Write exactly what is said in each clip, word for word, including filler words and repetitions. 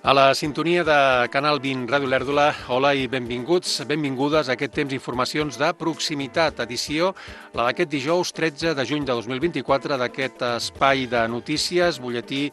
A la sintonia de Canal vint Ràdio Lèrdula, hola i benvinguts, benvingudes a aquest temps d'informacions de proximitat, edició la d'aquest dijous tretze de juny de dos mil vint-i-quatre, d'aquest espai de notícies, butlletí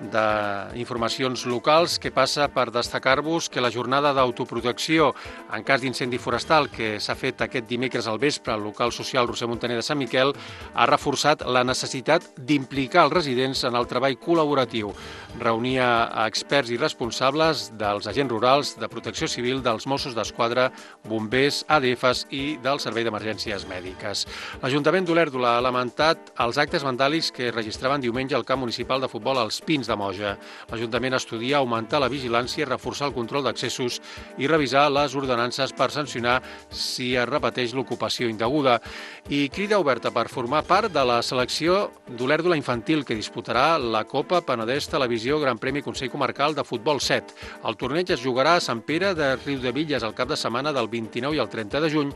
d'informacions locals, que passa per destacar-vos que la jornada d'autoprotecció en cas d'incendi forestal que s'ha fet aquest dimecres al vespre al local social Roser Montaner de Sant Miquel ha reforçat la necessitat d'implicar els residents en el treball col·laboratiu. Reunia a experts i responsables dels agents rurals, de protecció civil, dels Mossos d'Esquadra, bombers, A D Fs i del Servei d'Emergències Mèdiques. L'Ajuntament d'Olèrdola ha lamentat els actes vandàlics que registraven diumenge al camp municipal de futbol als Pins de Moja. L'Ajuntament estudia augmentar la vigilància, reforçar el control d'accessos i revisar les ordenances per sancionar si es repeteix l'ocupació indeguda. I crida oberta per formar part de la selecció d'Olèrdola infantil que disputarà la Copa Penedès Televisió Gran Premi Consell Comarcal de Futbol set. El torneig es jugarà a Sant Pere de Riudebitlles el cap de setmana del vint-i-nou i el trenta de juny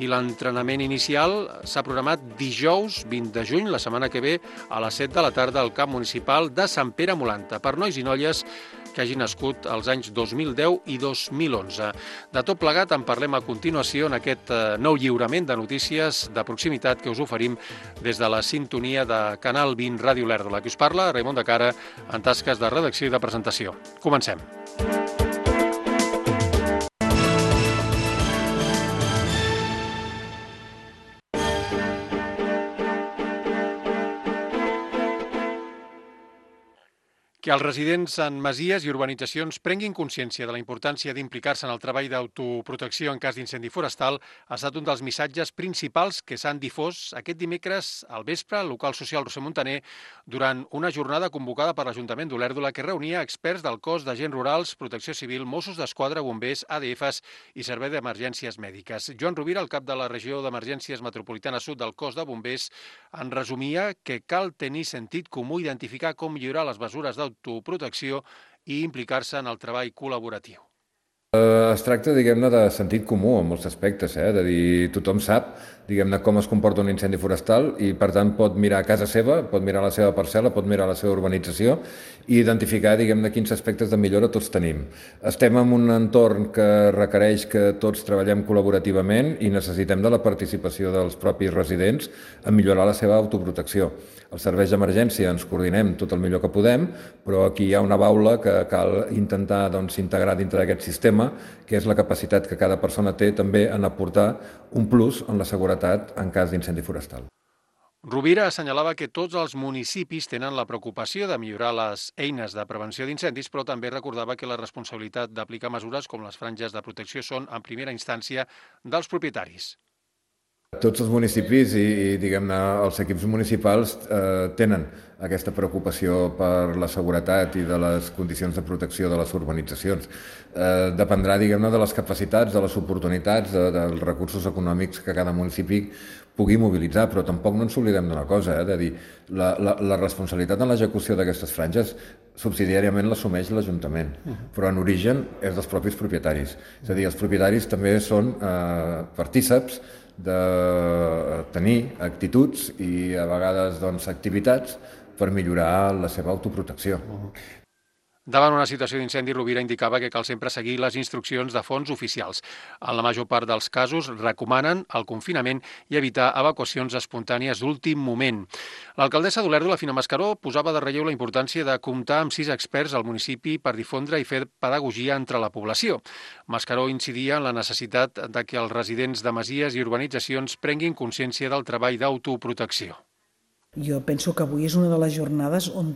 i l'entrenament inicial s'ha programat dijous vint de juny, la setmana que ve, a les set de la tarda al camp municipal de Sant Pere Molanta, per nois i noies que hagin nascut als anys dos mil deu i dos mil onze. De tot plegat en parlem a continuació en aquest nou lliurament de notícies de proximitat que us oferim des de la sintonia de Canal vint Ràdio Lèrdula. Qui us parla, Raimon de Cara, en tasques de redacció i de presentació. Comencem. Que els residents en masies i urbanitzacions prenguin consciència de la importància d'implicar-se en el treball d'autoprotecció en cas d'incendi forestal ha estat un dels missatges principals que s'han difós aquest dimecres al vespre al local social Roser Montaner durant una jornada convocada per l'Ajuntament d'Olèrdola que reunia experts del cos d'agents rurals, protecció civil, Mossos d'Esquadra, bombers, A D Fs i Servei d'Emergències Mèdiques. Joan Rovira, el cap de la regió d'Emergències Metropolitana Sud del cos de bombers, en resumia que cal tenir sentit comú, identificar com millorar les mesures d'autoprotecció autoprotecció i implicar-se en el treball col·laboratiu. Es tracta, diguem-ne, de sentit comú en molts aspectes, eh? De dir, tothom sap, diguem-ne, com es comporta un incendi forestal i, per tant, pot mirar a casa seva, pot mirar la seva parcel·la, pot mirar la seva urbanització i identificar, diguem-ne, quins aspectes de millora tots tenim. Estem en un entorn que requereix que tots treballem col·laborativament i necessitem de la participació dels propis residents en millorar la seva autoprotecció. Els serveis d'emergència ens coordinem tot el millor que podem, però aquí hi ha una baula que cal intentar doncs, integrar dintre d'aquest sistema, que és la capacitat que cada persona té també en aportar un plus en la seguretat en cas d'incendi forestal. Rovira assenyalava que tots els municipis tenen la preocupació de millorar les eines de prevenció d'incendis, però també recordava que la responsabilitat d'aplicar mesures com les franges de protecció són, en primera instància, dels propietaris. Tots els municipis i, i diguem-ne, els equips municipals eh, tenen aquesta preocupació per la seguretat i de les condicions de protecció de les urbanitzacions. Eh, dependrà, diguem-ne, de les capacitats, de les oportunitats, de, dels recursos econòmics que cada municipi pugui mobilitzar, però tampoc no ens oblidem d'una cosa, eh, de dir, la, la, la responsabilitat en l'execució d'aquestes franges subsidiàriament l'assumeix l'Ajuntament, uh-huh. però en origen és dels propis propietaris. És a dir, els propietaris també són eh, partíceps de tenir actituds i a vegades doncs, activitats per millorar la seva autoprotecció. Uh-huh. Davant una situació d'incendi, Rovira indicava que cal sempre seguir les instruccions de fons oficials. En la major part dels casos recomanen el confinament i evitar evacuacions espontànies d'últim moment. L'alcaldessa d'Olèrdola, Fina Mascaró, posava de relleu la importància de comptar amb sis experts al municipi per difondre i fer pedagogia entre la població. Mascaró incidia en la necessitat de que els residents de masies i urbanitzacions prenguin consciència del treball d'autoprotecció. Jo penso que avui és una de les jornades on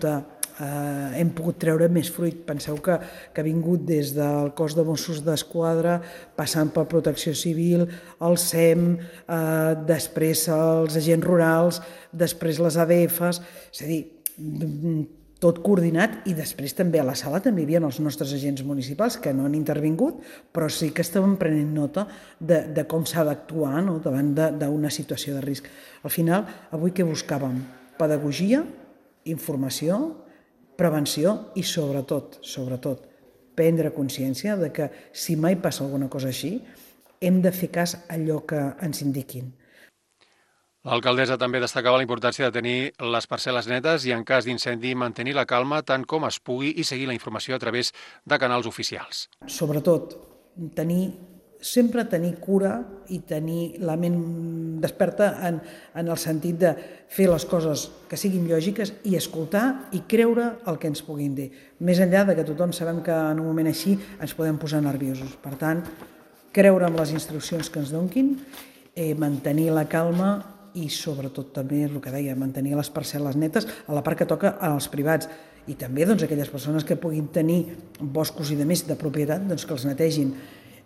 Uh, hem pogut treure més fruit. Penseu que, que ha vingut des del cos de Mossos d'Esquadra, passant per Protecció Civil, el S E M, uh, després els agents rurals, després les A D Fs, és a dir, tot coordinat, i després també a la sala també hi havia els nostres agents municipals que no han intervingut, però sí que estaven prenent nota de, de com s'ha d'actuar, no?, davant d'una situació de risc. Al final, avui què buscàvem? Pedagogia, informació, prevenció i sobretot, sobretot, prendre consciència de que si mai passa alguna cosa així, hem de fer cas a allò que ens indiquin. L'alcaldessa també destacava la importància de tenir les parcel·les netes i, en cas d'incendi, mantenir la calma tant com es pugui i seguir la informació a través de canals oficials. Sobretot, tenir, sempre tenir cura i tenir la ment desperta en, en el sentit de fer les coses que siguin lògiques i escoltar i creure el que ens puguin dir. Més enllà de que tothom sabem que en un moment així ens podem posar nerviosos. Per tant, creure en les instruccions que ens donquin, eh, mantenir la calma i sobretot també el que deia, mantenir les parcel·les netes a la part que toca als privats i també doncs, aquelles persones que puguin tenir boscos i de més de propietat doncs, que els netegin.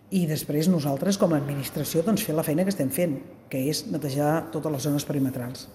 I després nosaltres com a administració doncs, fer la feina que estem fent, que és netejar totes les zones perimetrals.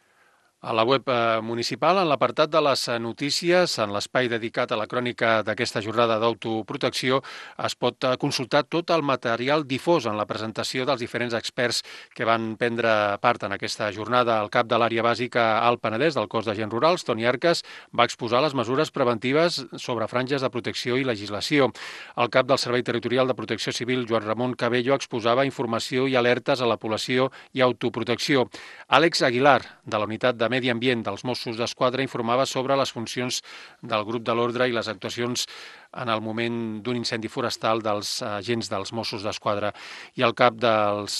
A la web municipal, en l'apartat de les notícies, en l'espai dedicat a la crònica d'aquesta jornada d'autoprotecció, es pot consultar tot el material difós en la presentació dels diferents experts que van prendre part en aquesta jornada. El cap de l'àrea bàsica al Penedès del cos d'agents rurals, Toni Arcas, va exposar les mesures preventives sobre franges de protecció i legislació. El cap del Servei Territorial de Protecció Civil, Joan Ramon Cabello, exposava informació i alertes a la població i autoprotecció. Àlex Aguilar, de la unitat de Medi Ambient dels Mossos d'Esquadra, informava sobre les funcions del grup de l'ordre i les actuacions en el moment d'un incendi forestal dels agents dels Mossos d'Esquadra. I el cap dels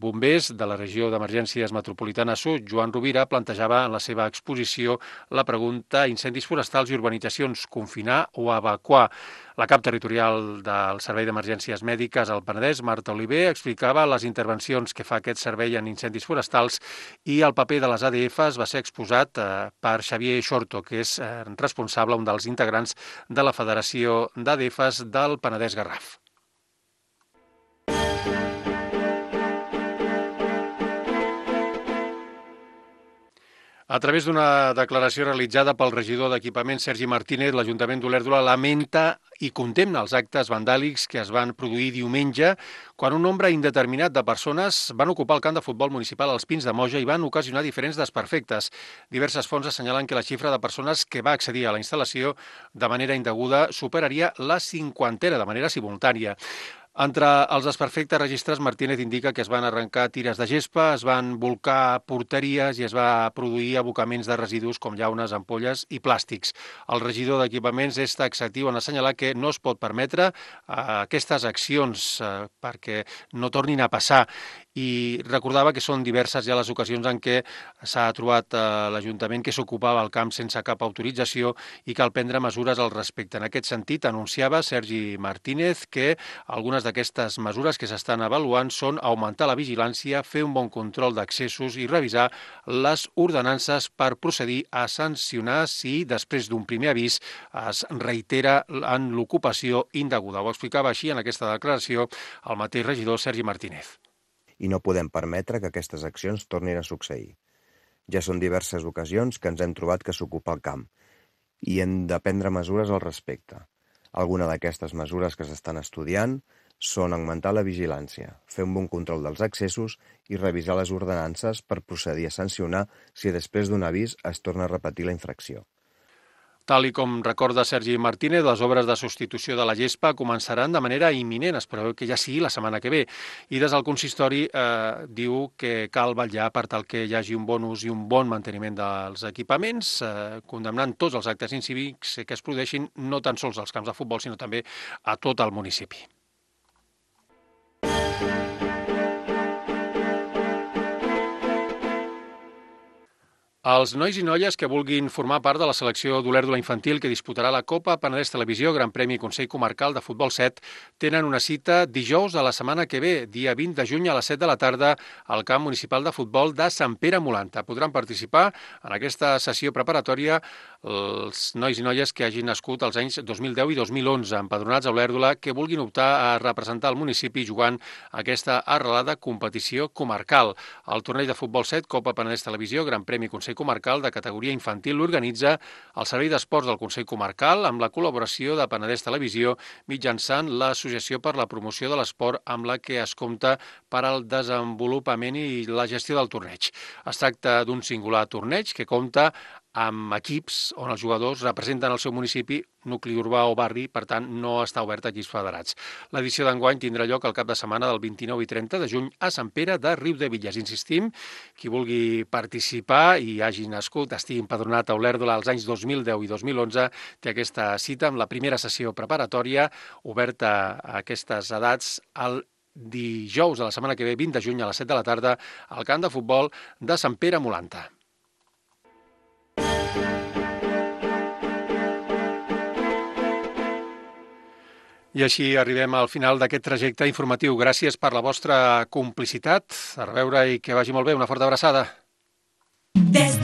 bombers de la regió d'emergències metropolitana sud, Joan Rovira, plantejava en la seva exposició la pregunta incendis forestals i urbanitzacions, confinar o evacuar. La cap territorial del Servei d'Emergències Mèdiques al Penedès, Marta Oliver, explicava les intervencions que fa aquest servei en incendis forestals i el paper de les A D Fs va ser exposat per Xavier Xorto, que és responsable, un dels integrants de la Federació d'A D Fs del Penedès Garraf. A través d'una declaració realitzada pel regidor d'Equipament, Sergi Martínez, l'Ajuntament d'Olèrdola lamenta i condemna els actes vandàlics que es van produir diumenge quan un nombre indeterminat de persones van ocupar el camp de futbol municipal als Pins de Moja i van ocasionar diferents desperfectes. Diverses fonts assenyalen que la xifra de persones que va accedir a la instal·lació de manera indeguda superaria la cinquantena de manera simultània. Entre els desperfectes registrats, Martínez indica que es van arrencar tires de gespa, es van volcar porteries i es va produir abocaments de residus com llaunes, ampolles i plàstics. El regidor d'Equipaments és taxatiu en assenyalar que no es pot permetre aquestes accions perquè no tornin a passar i recordava que són diverses ja les ocasions en què s'ha trobat l'Ajuntament que s'ocupava el camp sense cap autorització i cal prendre mesures al respecte. En aquest sentit, anunciava Sergi Martínez que algunes d'aquestes mesures que s'estan avaluant són augmentar la vigilància, fer un bon control d'accessos i revisar les ordenances per procedir a sancionar si després d'un primer avís es reitera en l'ocupació indeguda. Ho explicava així en aquesta declaració el mateix regidor Sergi Martínez. I no podem permetre que aquestes accions tornin a succeir. Ja són diverses ocasions que ens hem trobat que s'ocupa el camp i hem de prendre mesures al respecte. Alguna d'aquestes mesures que s'estan estudiant són augmentar la vigilància, fer un bon control dels accessos i revisar les ordenances per procedir a sancionar si després d'un avís es torna a repetir la infracció. Tal i com recorda Sergi Martínez, les obres de substitució de la gespa començaran de manera imminent, es preveu que ja sigui la setmana que ve. I des del consistori eh, diu que cal vetllar per tal que hi hagi un bon ús i un bon manteniment dels equipaments, eh, condemnant tots els actes incívics que es produeixin no tan sols als camps de futbol, sinó també a tot el municipi. Els nois i noies que vulguin formar part de la selecció d'Olèrdola infantil que disputarà la Copa Penedès Televisió Gran Premi Consell Comarcal de Futbol set tenen una cita dijous de la setmana que ve, dia vint de juny a les set de la tarda, al camp municipal de futbol de Sant Pere Molanta. Podran participar en aquesta sessió preparatòria els nois i noies que hagin nascut als anys dos mil deu i dos mil onze, empadronats a Olèrdola, que vulguin optar a representar el municipi jugant aquesta arrelada competició comarcal. El torneig de Futbol set, Copa Penedès Televisió Gran Premi Consell Comarcal de categoria infantil l'organitza el Servei d'Esports del Consell Comarcal amb la col·laboració de Penedès Televisió mitjançant l'Associació per la Promoció de l'Esport amb la que es compta per al desenvolupament i la gestió del torneig. Es tracta d'un singular torneig que compta amb equips on els jugadors representen el seu municipi, nucli urbà o barri, per tant, no està obert a equips federats. L'edició d'enguany tindrà lloc el cap de setmana del vint-i-nou i trenta de juny a Sant Pere de Riudebitlles. Insistim, qui vulgui participar i hagi nascut, estigui empadronat a Olèrdola als anys dos mil deu i dos mil onze, té aquesta cita amb la primera sessió preparatòria oberta a aquestes edats al dijous de la setmana que ve, vint de juny a les set de la tarda, al camp de futbol de Sant Pere Molanta. I així arribem al final d'aquest trajecte informatiu. Gràcies per la vostra complicitat. A reveure i que vagi molt bé. Una forta abraçada. Des